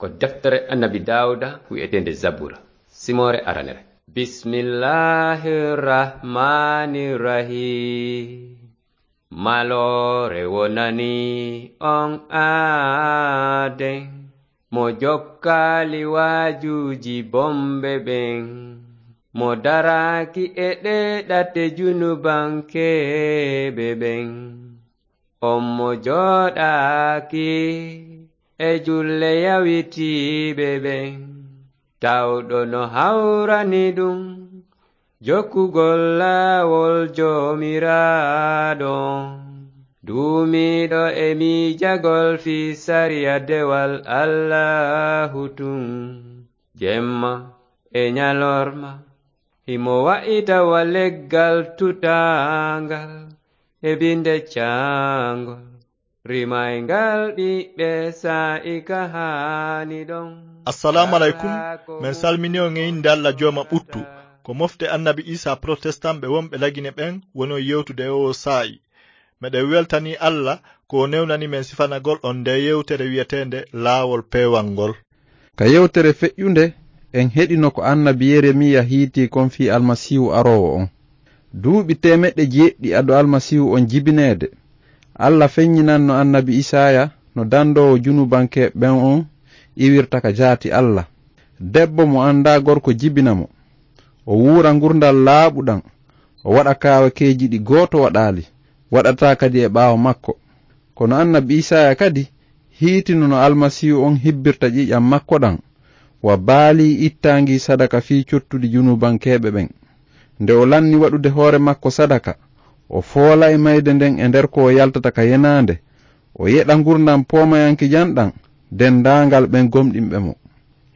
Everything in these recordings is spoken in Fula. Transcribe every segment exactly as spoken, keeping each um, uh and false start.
Ko deftere Annabi Daawuda wi'eteende Zabura, simoore aranere. Bismillaahi Rahmaani Rahiim. Maloore wonani on aaden, mo jokkaali waajuuji bonɓe ɓen, mo daraaki e ɗee ɗate junubankeeɓe ɓen. On mo jooɗaaki e julle yawitiiɓe ɓen, tawɗo no hawrani ɗum jokkugol laawol Joomiraaɗo, duumiiɗo e miijagol fii sariya dewal Allaahu tun, jemma e ñalorma. Himo wa'ita wa leggal tutaangal e binde caangol, rimayngal ɓiɓɓe saa'i ka haani ɗon. Assalaamu aleykum. Men salmini on e innde Alla Jooma ɓuttu. Ko mofte Annabi Iisaa protestant ɓe wonɓe Lagine ɓen woni on yewtude e oo saa'i. Meɗen weltanii Alla ko o newnani men sifanagol on ndee yewtere wi'eteende Laawol Peewal ngol. Ka yewtere feƴƴunde, en heɗino ko Annabi Yeremiya hiitii kon fii Almasiihu aroowo on. Duuɓi teemeɗɗe jeeɗiɗi ado Almasiihu on jibineede, Alla feɲɲinanno Annabi Isaaya no dandoowo junubankeeɓe ɓen on iwirta ka jaati Alla. Debbo mo anndaa gorko jibina mo. O wuura ngurndan laaɓuɗan, o waɗa kaawakeeji ɗi gooto waɗaali, waɗataa kadi e ɓaawo makko. Kono Annabi Isaaya kadi hiitino no Almasiihu on hibbirta ƴiiƴan makko ɗan, wa baalii ittaangii sadaka fii cottudi junubankeeɓe ɓen. Nde o lanni waɗude hoore makko sadaka, o foola e mayde nden e nder ko o yaltata ka yenaande, o yeɗa ngurndan poomayankejan ɗan denndaangal ɓen gomɗinɓe mo.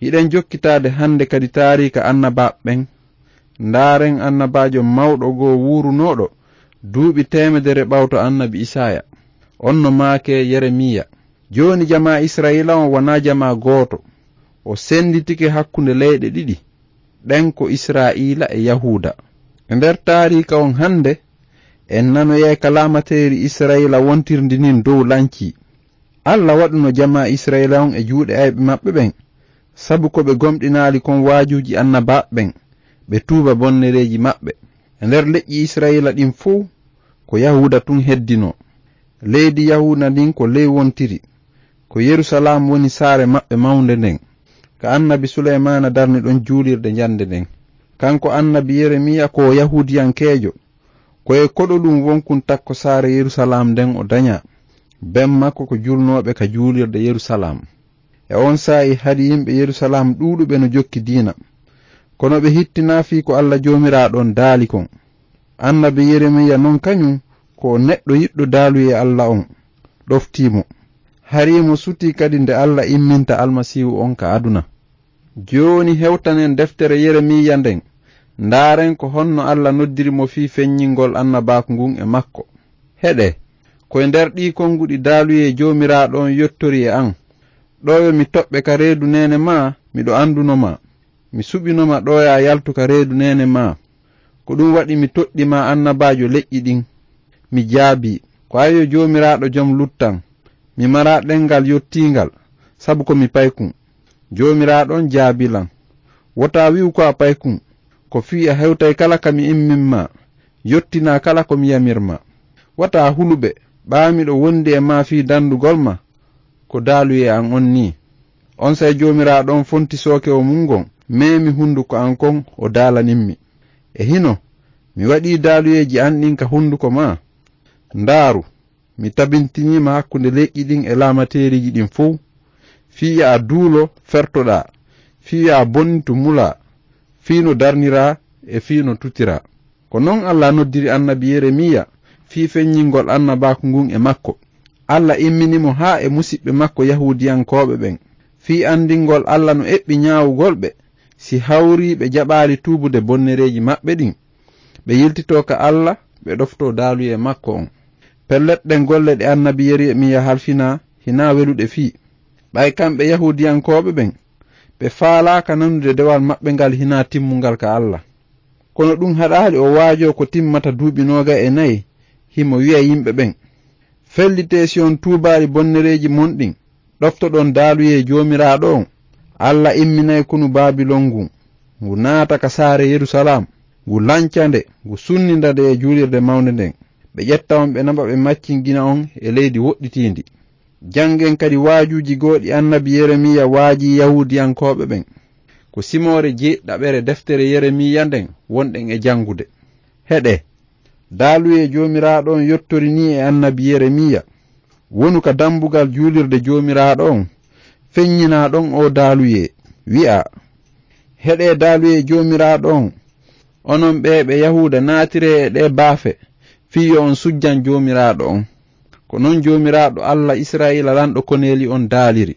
Hiɗen jokkitaade hannde kadi taariika annabaaɓe ɓen. Ndaaren annabaajo mawɗo goo wuurunooɗo duuɓi teemedere ɓawto Annabi Isaaya. On no maakee Yeremiya. Jooni jamaa Isra'iila on wanaa jamaa gooto. O sennditike hakkunde leyɗe ɗiɗi. Ɗen ko Isra'iila e Yahuuda. E nder taariika on hannde, en nanoyay ka laamateeri Isra'iila wontirndi nin dow lancii. Alla waɗuno jamaa Isra'iila on e juuɗe ayɓe maɓɓe ɓen, sabu ko ɓe gomɗinaali kon waajuuji annabaaɓe ɓen, ɓe tuuba bonnereeji maɓɓe. E nder leƴƴi Isra'iila ɗin fow, ko Yahuuda tun heddinoo. Leydi Yahuuda ndin ko ley wontiri. Ko Yerusalaam woni saare maɓɓe mawnde nden, ka annabi Suleymaana darni ɗon juulirde njande nden. Kanko annabi Yeremiya ko o Yahuudiyankeejo. Ko e koɗo ɗum wonkun takko saare Yerusalaam nden o dañaa. Ben makko ko julnooɓe ka juulirde Yerusalaam. E on saa'i hari yimɓe Yerusalaam ɗuuɗuɓe no jokki diina. Kono ɓe hittinaa fii ko Alla Joomiraaɗo on daali kon. Annabi Yeremiya non kañum ko o neɗɗo yiɗɗo daaluyee Alla on, ɗoftii mo. Hari mo sutii kadi nde Alla imminta Almasiihu on ka aduna. Jooni hewtanen deftere Yeremiya nden, ndaaren ko honno Alla noddiri mo fii feññingol annabaaku ngun e makko. Heɗee, ko e nder ɗii konguɗi daaluyee Joomiraaɗo on yottori e an. Ɗoo yo mi toɓɓe ka reedu neene maa, miɗo anduno ma. Mi suɓino ma ɗooyaa yaltu ka reedu neene maa. Ko ɗum waɗi mi toɗɗi ma annabaajo leƴƴi ɗin. Mi jaabii, ko an yo Joomiraaɗo jom luttan. Mi maraa ɗemngal yottiingal, sabu ko mi paykun. Joomiraaɗo on jaabii lan. Wota wi'u ko a paykun, ko fii a hewtay kala ka mi immin ma, yottinaa kala ko mi yamir ma. Wata hulu ɓe, ɓaa miɗo wondi e ma fii dandugol ma, ko daaluyee an on nii. Onsay Joomiraaɗo on fonti sooke o mun ngon, meemi hunduko an kon, o daalanimmi. E hino, mi waɗii daaluyeeji an ɗin ka hunduko maa. Ndaaru, mi tabintinii ma hakkunde leƴƴi ɗin e laamateeriiji ɗin fow, fii yo a duulo, fertoɗaa, fii yo a bonnitu, mulaa, fii no darniraa e fii no tutiraa. Ko non Alla noddiri annabi Yeremiya fii feññingol annabaaku ngun e makko. Alla immini mo haa e musiɓɓe makko Yahuudiyankooɓe ɓen, fii anndingol Alla no eɓɓi ñaawugol ɓe, si hawrii ɓe jaɓaali tuubude bonnereeji maɓɓe ɗin, ɓe yiltitoo ka Alla, ɓe ɗoftoo daaluyee makko on. Pellet, ɗen golle ɗe annabi Yeremiya halfinaa hinaa weluɗe fii. Ɓay kamɓe Yahuudiyankooɓe ɓen, ɓe faalaaka nanude dewal maɓɓe ngal hinaa timmungal ka Alla. Kono ɗum haɗaali o waajoo ko timmata duuɓi noogay e nayi, himo wi'a yimɓe ɓen, "Fellitee si on tuubaali bonnereeji mon ɗin, ɗoftoɗon daaluyee Joomiraaɗo on, Alla imminay konu Babilon ngun, ngu naata ka saare Yerusalaam, ngu lanca nde, ngu sunninda nde e juulirde mawnde nden. Ɓe ƴetta on, ɓe naɓa, ɓe maccingina on e leydi woɗɗitiindi. Janngen kadi waajuuji goo ɗi annabi Yeremiya waajii Yahuudiyankooɓe ɓen. Ko simoore jeeɗiɗaɓere deftere Yeremiya nden wonɗen e janngude. Heɗee, daaluyee Joomiraaɗo on yottori nii e annabi Yeremiya: "Wonu ka dambugal juulirde Joomiraaɗo on, feññinaa ɗon oo daaluyee, wi'aa: Heɗee daaluyee Joomiraaɗo on, onon ɓee ɓe Yahuuda, naatiree e ɗee baafe, fii yo on sujjan Joomiraaɗo on." Ko non Joomiraaɗo, Alla Israa'iila, Lanɗo koneeli on daaliri: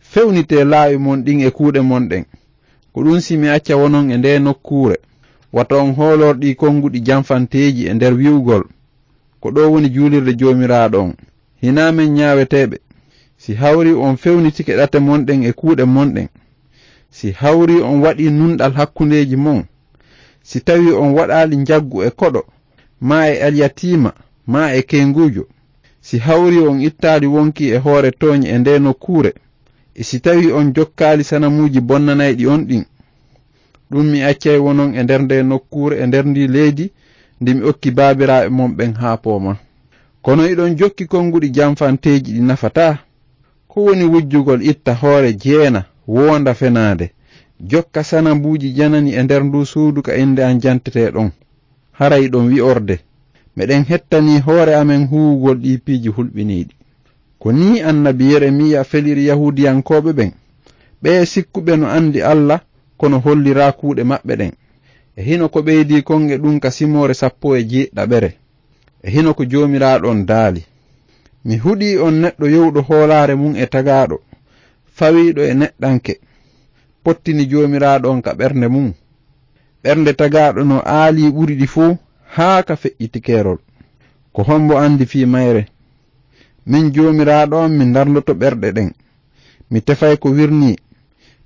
"Fewnitee laawi mon ɗin e kuuɗe mon ɗen. Ko ɗun si mi acca wonon e ndee nokkuure, wata on hoolor ɗii konguɗi janfanteeji e nder wi'ugol: 'Ko ɗoo woni juulirde Joomiraaɗo on.' Hinaa men ñaaweteeɓe. Si hawri on fewnitike ɗate mon ɗen e kuuɗe mon ɗen, si hawri on waɗii nunɗal hakkundeeji mon, si tawii on waɗaali njaggu e koɗo, maa e alyatiima, maa e kenguujo, si hawri on ittaali wonkii e hoore tooñe e ndee nokkuure, e si tawii on jokkaali sanamuuji bonnanayɗi on ɗin, ɗun mi accay wonon e nder ndee nokkuure, e nder ndii leydi ndi mi okki baabiraaɓe mon ɓen haa poomaa. Kono hiɗon jokki konguɗi janfanteeji ɗi nafataa. Ko woni wujjugol itta hoore jeena, woonda fenaande, jokka sanamuuji janani e nder nduu suudu ka innde an jantetee ɗon? Hara hiɗon wi'orde: 'Meɗen hettanii hoore amen huuwugol ɗii piiji hulɓiniiɗi.'" Ko nii annabi Yeremiya feliri Yahuudiyankooɓe ɓen, ɓee sikkuɓe no anndi Alla, kono holliraa kuuɗe maɓɓe ɗen. E hino ko ɓeydii kon e ɗun ka simoore sappo e jeeɗiɗaɓere. E hino ko Joomiraaɗo on daali: "Mi huɗii on neɗɗo yowuɗo hoolaare mun e tagaaɗo, fawiiɗo e neɗɗanke, pottini Joomiraaɗo on ka ɓernde mun. Ɓernde tagaaɗo no aalii ɓuri ɗi fow haa ka feƴƴiti keerol. Ko hombo anndi fii mayre? Min Joomiraaɗo on, mi ndarloto ɓerɗe ɗen. Mi tefay ko wirnii,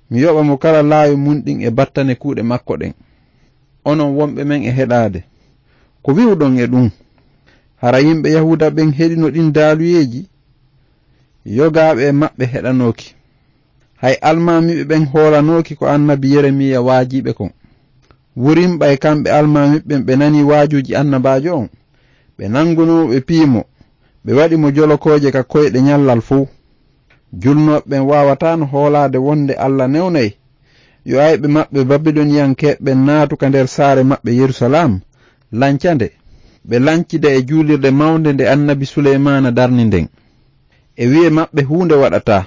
mi yoɓa mo kala laawi mun ɗin e battane kuuɗe makko ɗen." Onon wonɓe men e heɗaade, ko wi'uɗon e ɗun? Hara yimɓe Yahuuda ɓen heɗino ɗin daaluyeeji? Yogaaɓe e maɓɓe heɗanooki. Hay almaamiiɓe ɓen hoolanooki ko annabi Yeremiya waajii ɓe kon. Wurin ɓay kamɓe almaamiiɓe ɓen ɓe nanii waajuuji annabaajo on, ɓe nangunoo mo, ɓe piyi mo, ɓe waɗi mo jolokooje ka koyɗe ñallal fow. Julnooɓe ɓen waawataano hoolaade wonde Alla newnay yo ayɓe maɓɓe Babiloniyankeeɓe ɓen naatu ka nder saare maɓɓe Yerusalaam, lanca nde, ɓe lancida e juulirde mawnde nde annabi Suleymaana darni nden. E wi'e maɓɓe huunde waɗataa.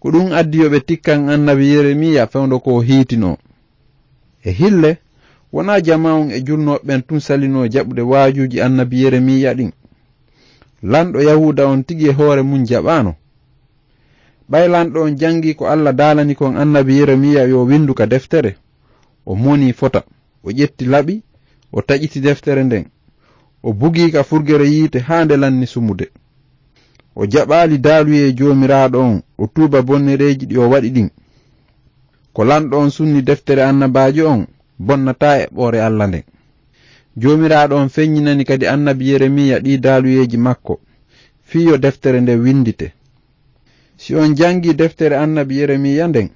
Ko ɗun addi yo ɓe tikkan annabi Yeremiya fewndo ko o hiitinoo. E hille, wonaa jamaa on e julnooɓe ɓen tun salinoo jaɓude waajuuji annabi Yeremiya ɗin. Lanɗo Yahuuda on tigi e hoore mun jaɓaano. Ɓay lanɗo on jangii ko Alla daalani kon annabi Yeremiya yo windu ka deftere, o monii fota, o ƴetti laɓi, o taƴiti deftere nden, o bugii ka furgere yiite haa nde lanni sumude. O jaɓaali daaluyee Joomiraaɗo on, o tuuba bonnereeji ɗi o waɗi ɗin. Ko lanɗo on sunni deftere annabaajo on, bonnataa eɓɓoore Alla nden. Joomiraaɗo on feññinani kadi annabi Yeremiya ɗii daaluyeeji makko, fii yo deftere nden windite. Si on jangii deftere annabi Yeremiya nden,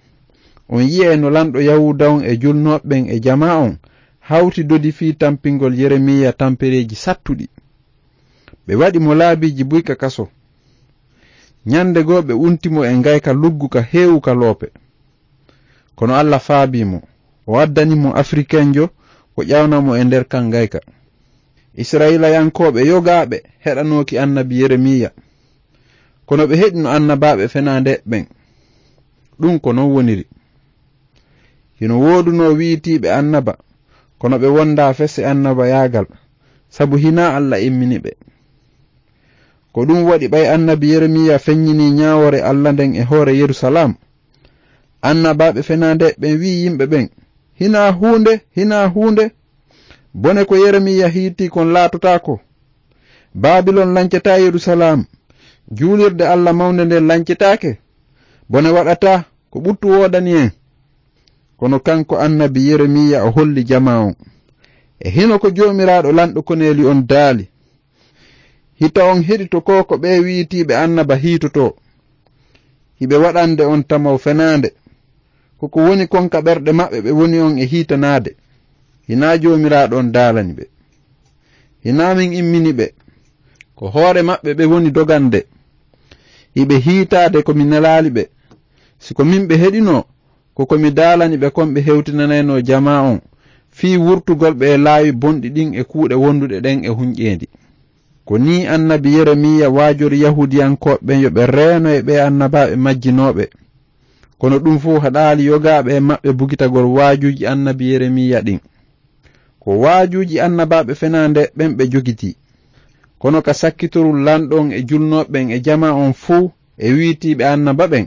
on yi'ay no lanɗo Yahuuda on e julnooɓe ɓen e jamaa on hawti dodi fii tampingol Yeremiya tampereeji sattuɗi. Ɓe waɗi mo laabiiji buy ka kaso. Ñande goo ɓe unti mo e ngayka luggu ka heewu ka loope. Kono Alla faabii mo, o addani mo Afrikenjo, o ƴawna mo e nder kan ngayka. Isra'ilayankooɓe yogaaɓe heɗanooki annabi Yeremiya, kono ɓe heɗino annabaaɓe fenaande ɓen. Ɗun ko non woniri. Hino woodunoo wi'itiiɓe annaba, kono ɓe wondaa fese annabayaagal, sabu hinaa Alla immini ɓe. Ko ɗun waɗi, ɓay annabi Yeremiya feññinii ñaawoore Alla nden e hoore Yerusalaam, annabaaɓe fenaande ɓen wi'i yimɓe ɓen: "Hinaa huunde, hinaa huunde! Bone ko Yeremiya hiitii kon laatotaako. Babilon lancataa Yerusalaam, juulirde Alla mawnde nden lancetaake. Bone waɗataa, ko ɓuttu woodani en." Kono kanko annabi Yeremiya o holli jamaa on: "E hino ko Joomiraaɗo Lanɗo koneeli on daali: Hita on heɗito ko ko ɓee wi'itiiɓe annaba hiitotoo. Hiɓe waɗande on tamaw fenaande, Ko ko woni kon ka ɓerɗe maɓɓe ɓe woni on e hiitanaade. Hinaa Joomiraaɗo on daalani ɓe. Hinaa min immini ɓe. Ko hoore maɓɓe ɓe woni dogande. Hiɓe hiitaade ko mi nelaali ɓe. Si ko min ɓe heɗinoo, ko ko mi daalani ɓe kon ɓe hewtinanaynoo jamaa on, fii wurtugol ɓe e laawi bonɗi ɗin e kuuɗe wonduɗe ɗen e hunƴeendi. Ko nii annabi Yeremiya waajori Yahuudiyankooɓe ɓen yo ɓe reeno e ɓee annabaaɓe majjinooɓe. Kono ɗum fow haɗaali yogaaɓe e maɓɓe bugitagol waajuuji annabi Yeremiya ɗin. Ko waajuuji annabaaɓe fenaande ɓen ɓe jogitii. Kono ka sakkitorul lanɗo on e julnooɓe ɓen e jamaa on fow e wiitiiɓe annaba ɓen,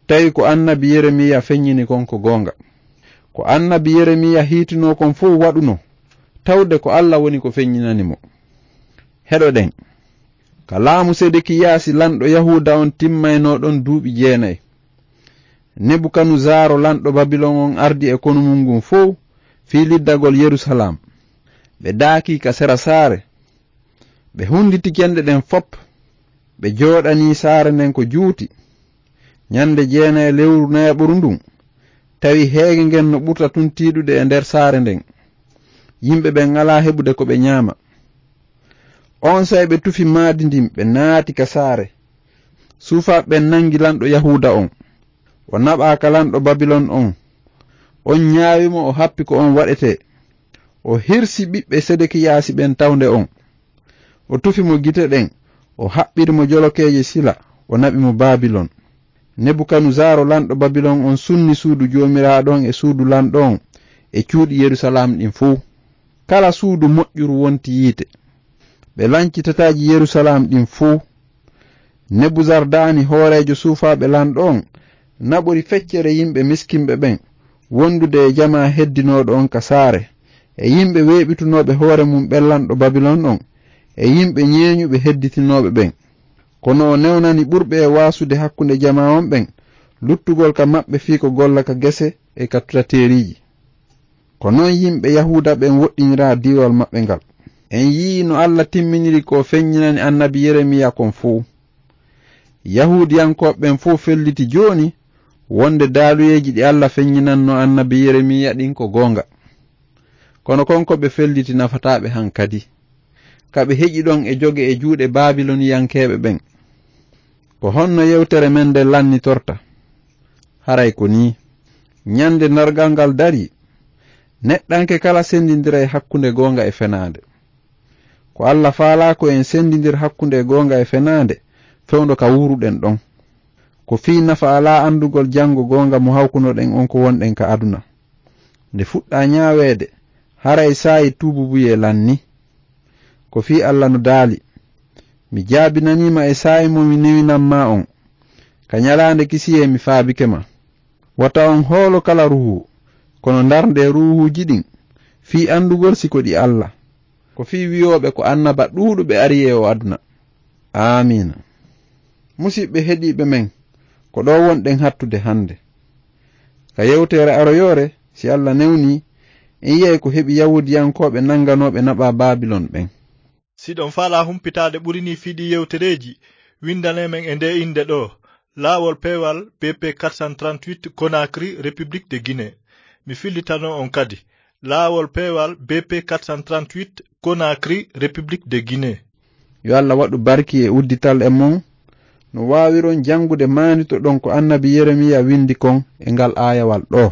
tawi ko annabi Yeremiya feññini kon ko goonga. Ko annabi Yeremiya hiitinoo kon fow waɗunoo, tawde ko Alla woni ko feññinani mo. Heɗoɗen. Ka laamu Sedekiyaasi lanɗo Yahuuda on timmaynoo ɗon duuɓi jeenay, Nebukanuzaaro lanɗo Babilon on ardi e konu mun ngun fow fii liddagol Yerusalaam. Ɓe daakii ka sera saare. Ɓe hunnditi cenɗe ɗen fop. Ɓe jooɗanii saare nden ko juuti. Ñande jeenay lewru nayaɓuru ndun, tawi heege ngen no ɓurta tun tiiɗude e nder saare nden. Yimɓe ɓen alaa heɓude ko ɓe ñaama. Onsay ɓe tufi maadi ndin, ɓe naati ka saare. Suufaaɓe ɓen nangi lanɗo Yahuuda on. O naɓaa ka lanɗo Babilon on. On ñaawi mo, o happi ko on waɗetee. O hirsi ɓiɓɓe Sedekiyaasi ɓen tawnde on. O tufi mo gite ɗen, o haɓɓiri mo jolokeeje sila, o naɓi mo Babilon. Nebukanuzaaro lanɗo Babilon on sunni suudu Joomiraaɗo on e suudu lanɗo on e cuuɗi Yerusalaam ɗin fow. Kala suudu moƴƴuru wonti yiite. Ɓe lanci tataaji Yerusalaam ɗin fow. Nebuzardaani hooreejo suufaaɓe lanɗo on naɓori feccere yimɓe miskinɓe ɓen, wondude e jamaa heddinooɗo on ka saare, e yimɓe weeɓitunooɓe hoore mum ɓen lanɗo Babilon on, e yimɓe ñeeñuɓe hedditinooɓe ɓen. Kono o newnani ɓurɓe e waasude hakkunde jamaa on ɓen, luttugol ka maɓɓe fii ko golla ka gese e ka tutateeriiji. Ko non yimɓe Yahuuda ɓen woɗɗiniraa diiwal maɓɓe ngal. En yi'ii no Alla timminiri ko o feññinani annabi Yeremiya kon fow. Yahuudiyankooɓe ɓen fow felliti jooni wonde daaluyeeji ɗi Alla feññinannoo annabi Yeremiya ɗin ko goonga. Kono kon ko ɓe felliti nafataa ɓe han kadi. Ka ɓe heƴi ɗon e joge e juuɗe Baabiloniyankeeɓe ɓen. Ko honno yewtere men nden lannitorta? Haray ko nii. Ñande darngal ngal darii, neɗɗanke kala sendindiray hakkunde goonga e fenaande. Ko Alla faalaa ko en sendindir hakkunde goonga e fenaande, fewndo ka wuuruɗen ɗon. Ko fii nafa alaa andugol janngo goonga mo hawkunoɗen on ko wonɗen ka aduna. Nde fuɗɗaa ñaaweede, haray saa'i tuububuyee lannii. Ko fii Alla no daali, "Mi jaabinanii ma e saa'i mo mi newinan maa on. Ka ñalaande kisiyee mi faabike ma." Wata on hoolo kala ruuhu, kono ndarndee ruuhuuji ɗin, fii andugol si ko ɗi Alla. Ko fii wi'ooɓe ko annaba ɗuuɗuɓe ari e oo aduna. Aamiina. Musiɓɓe heɗiiɓe men, ko ɗoo wonɗen hattude hande. Ka yewtere aroyoore, si Alla newnii, en yi'ay ko heɓi Yahuudiyankooɓe nanganooɓe naɓaa Baabilon ɓen. Si ɗon faalaa humpitaade ɓuri nii fii ɗii yewtereeji, windanee men e ndee innde ɗoo, Laawol Peewal B P quatre cent trente-huit, Conakry, République de Guinée. Mi fillitano on kadi, Laawol Peewal B P quatre cent trente-huit, Conakry, République de Guinée. Yo Alla waɗu barki e uddital e mon, no waawiron janngude maanditoɗon ko annabi Yeremiya windi kon e ngal aayawal ɗoo.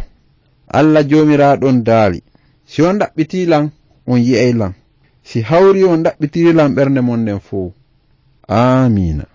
Alla Joomiraaɗo on daali, "Si on ɗaɓɓitii lan, on yi'ay lan. Si hawrii on ɗaɓɓitirii lan ɓernde mon nden fow." Aamiina.